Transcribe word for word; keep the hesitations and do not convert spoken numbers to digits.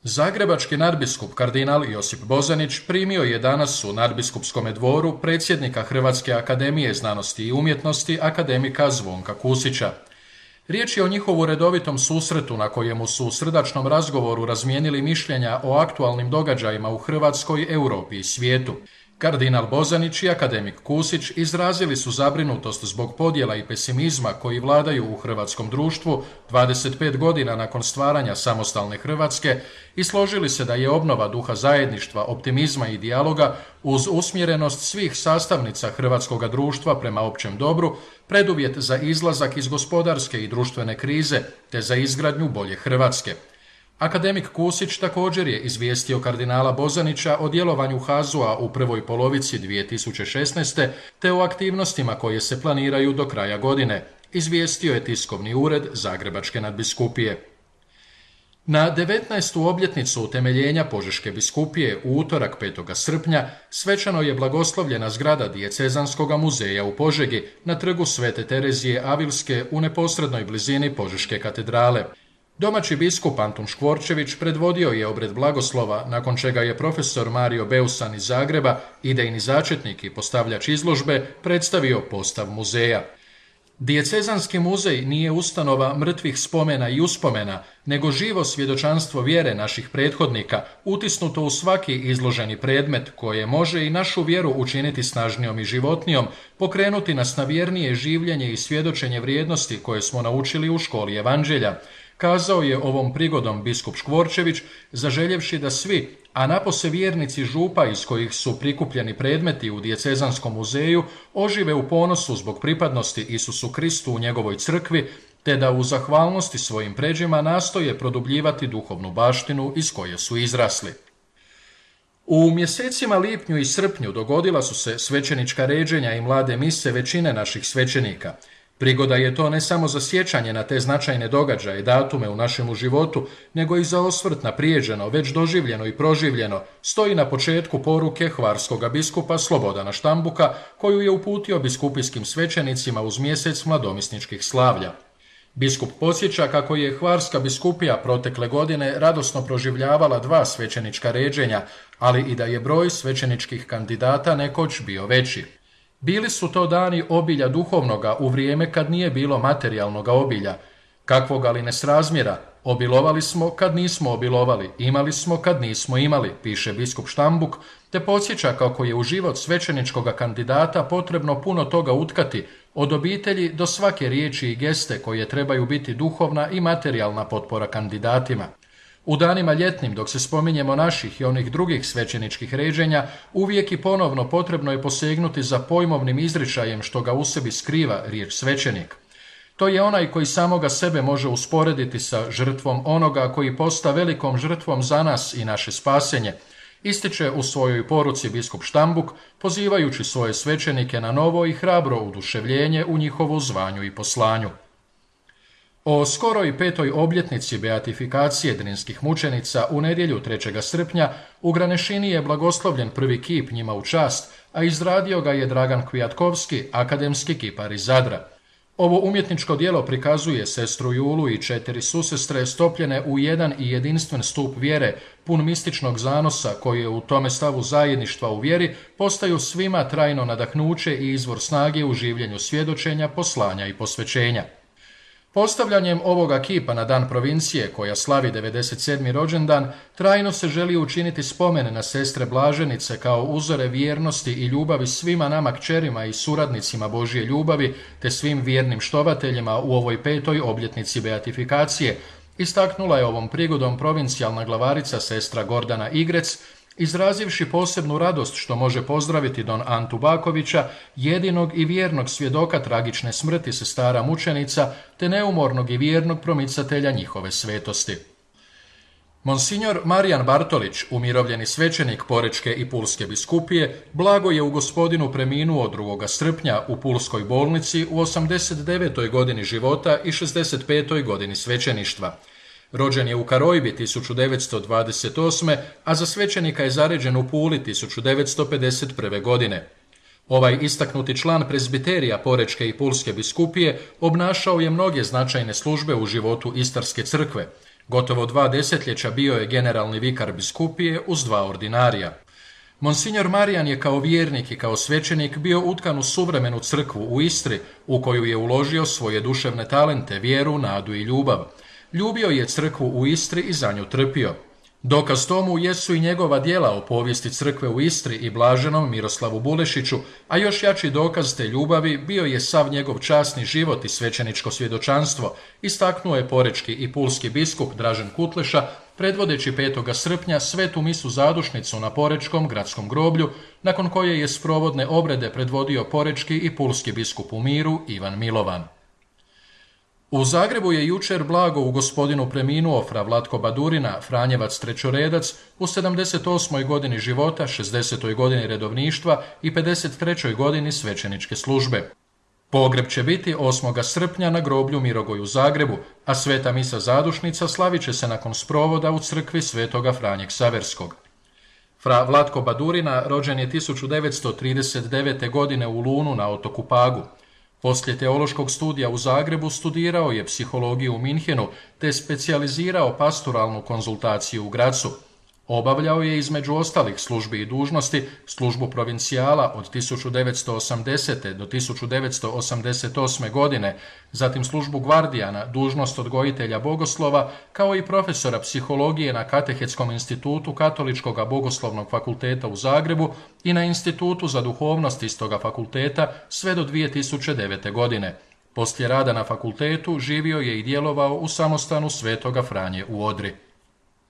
Zagrebački nadbiskup kardinal Josip Bozanić primio je danas u nadbiskupskom dvoru predsjednika Hrvatske akademije znanosti i umjetnosti akademika Zvonka Kusića. Riječ je o njihovu redovitom susretu na kojemu su u srdačnom razgovoru razmijenili mišljenja o aktualnim događajima u Hrvatskoj, Europi i svijetu. Kardinal Bozanić i akademik Kusić izrazili su zabrinutost zbog podjela i pesimizma koji vladaju u hrvatskom društvu dvadeset pet godina nakon stvaranja samostalne Hrvatske i složili se da je obnova duha zajedništva, optimizma i dijaloga uz usmjerenost svih sastavnica hrvatskoga društva prema općem dobru preduvjet za izlazak iz gospodarske i društvene krize te za izgradnju bolje Hrvatske. Akademik Kusić također je izvijestio kardinala Bozanića o djelovanju H A Z U-a u prvoj polovici dvije tisuće šesnaeste. te o aktivnostima koje se planiraju do kraja godine, izvijestio je tiskovni ured Zagrebačke nadbiskupije. Na devetnaestu obljetnicu utemeljenja Požeške biskupije u utorak petog srpnja svečano je blagoslovljena zgrada Dijecezanskog muzeja u Požegi na trgu Svete Terezije Avilske u neposrednoj blizini Požeške katedrale. Domaći biskup Antun Škvorčević predvodio je obred blagoslova, nakon čega je profesor Mario Beusan iz Zagreba, idejni začetnik i postavljač izložbe, predstavio postav muzeja. Dijecezanski muzej nije ustanova mrtvih spomena i uspomena, nego živo svjedočanstvo vjere naših prethodnika, utisnuto u svaki izloženi predmet koje može i našu vjeru učiniti snažnijom i životnijom, pokrenuti nas na vjernije življenje i svjedočenje vrijednosti koje smo naučili u školi evanđelja, kazao je ovom prigodom biskup Škvorčević, zaželjevši da svi, a napose vjernici župa iz kojih su prikupljeni predmeti u Dijecezanskom muzeju, ožive u ponosu zbog pripadnosti Isusu Kristu u njegovoj crkvi, te da u zahvalnosti svojim pređima nastoje produbljivati duhovnu baštinu iz koje su izrasli. U mjesecima lipnju i srpnju dogodila su se svećenička ređenja i mlade mise većine naših svećenika. Prigoda je to ne samo za sjećanje na te značajne događaje i datume u našemu životu, nego i za osvrt na prijeđeno, već doživljeno i proživljeno, stoji na početku poruke hvarskoga biskupa Slobodana Štambuka, koju je uputio biskupijskim svećenicima uz mjesec mladomisničkih slavlja. Biskup podsjeća kako je hvarska biskupija protekle godine radosno proživljavala dva svećenička ređenja, ali i da je broj svećeničkih kandidata nekoć bio veći. Bili su to dani obilja duhovnoga u vrijeme kad nije bilo materijalnoga obilja. Kakvoga li nesrazmjera, obilovali smo kad nismo obilovali, imali smo kad nismo imali, piše biskup Štambuk, te podsjeća kako je u život svećeničkoga kandidata potrebno puno toga utkati, od obitelji do svake riječi i geste koje trebaju biti duhovna i materijalna potpora kandidatima. U danima ljetnim, dok se spominjemo naših i onih drugih svećeničkih ređenja, uvijek i ponovno potrebno je posegnuti za pojmovnim izričajem što ga u sebi skriva riječ svećenik. To je onaj koji samoga sebe može usporediti sa žrtvom onoga koji posta velikom žrtvom za nas i naše spasenje, ističe u svojoj poruci biskup Štambuk, pozivajući svoje svećenike na novo i hrabro uduševljenje u njihovu zvanju i poslanju. O skoroj petoj obljetnici beatifikacije drinskih mučenica u nedjelju trećeg srpnja u Granešini je blagoslovljen prvi kip njima u čast, a izradio ga je Dragan Kvijatkovski, akademski kipar iz Zadra. Ovo umjetničko djelo prikazuje sestru Julu i četiri susestre stopljene u jedan i jedinstven stup vjere, pun mističnog zanosa koje u tome stavu zajedništva u vjeri postaju svima trajno nadahnuće i izvor snage u življenju svjedočenja, poslanja i posvećenja. Postavljanjem ovoga kipa na dan provincije, koja slavi devedeset sedmi rođendan, trajno se želi učiniti spomen na sestre blaženice kao uzore vjernosti i ljubavi svima nama kćerima i suradnicima Božje ljubavi, te svim vjernim štovateljima u ovoj petoj obljetnici beatifikacije, istaknula je ovom prigodom provincijalna glavarica sestra Gordana Igrec, izrazivši posebnu radost što može pozdraviti don Antu Bakovića, jedinog i vjernog svjedoka tragične smrti sestara mučenica, te neumornog i vjernog promicatelja njihove svetosti. Monsignor Marijan Bartolić, umirovljeni svećenik Porečke i Pulske biskupije, blago je u Gospodinu preminuo drugoga srpnja u Pulskoj bolnici u osamdeset devetoj godini života i šezdeset petoj godini svećeništva. Rođen je u Karojbi tisuću devetsto dvadeset osme. a za svećenika je zaređen u Puli tisuću devetsto pedeset prve. godine. Ovaj istaknuti član prezbiterija Porečke i Pulske biskupije obnašao je mnoge značajne službe u životu Istarske crkve. Gotovo dva desetljeća bio je generalni vikar biskupije uz dva ordinarija. Monsignor Marijan je kao vjernik i kao svećenik bio utkan u suvremenu crkvu u Istri, u koju je uložio svoje duševne talente, vjeru, nadu i ljubav. Ljubio je crkvu u Istri i za nju trpio. Dokaz tomu jesu i njegova djela o povijesti crkve u Istri i blaženom Miroslavu Bulešiću, a još jači dokaz te ljubavi bio je sav njegov časni život i svećeničko svjedočanstvo, istaknuo je porečki i pulski biskup Dražen Kutleša, predvodeći petog srpnja svetu misu zadušnicu na Porečkom gradskom groblju, nakon koje je sprovodne obrede predvodio porečki i pulski biskup u miru Ivan Milovan. U Zagrebu je jučer blago u gospodinu preminuo fra Vlatko Badurina, Franjevac trećoredac, u sedamdeset osmoj godini života, šezdesetoj godini redovništva i pedeset trećoj godini svećeničke službe. Pogreb će biti osmog srpnja na groblju Mirogoj u Zagrebu, a sveta misa zadušnica slavit će se nakon sprovoda u crkvi svetoga Franje Ksaverskog. Fra Vlatko Badurina rođen je tisuću devetsto trideset devete. godine u Lunu na otoku Pagu. Poslije teološkog studija u Zagrebu studirao je psihologiju u Minhenu te specijalizirao pastoralnu konzultaciju u Grazu. Obavljao je između ostalih službi i dužnosti službu provincijala od tisuću devetsto osamdesete. do tisuću devetsto osamdeset osme. godine, zatim službu gvardijana, dužnost odgojitelja bogoslova, kao i profesora psihologije na Katehetskom institutu Katoličkog bogoslovnog fakulteta u Zagrebu i na Institutu za duhovnost istoga fakulteta sve do dvije tisuće devete. godine. Poslije rada na fakultetu živio je i djelovao u samostanu Svetoga Franje u Odri.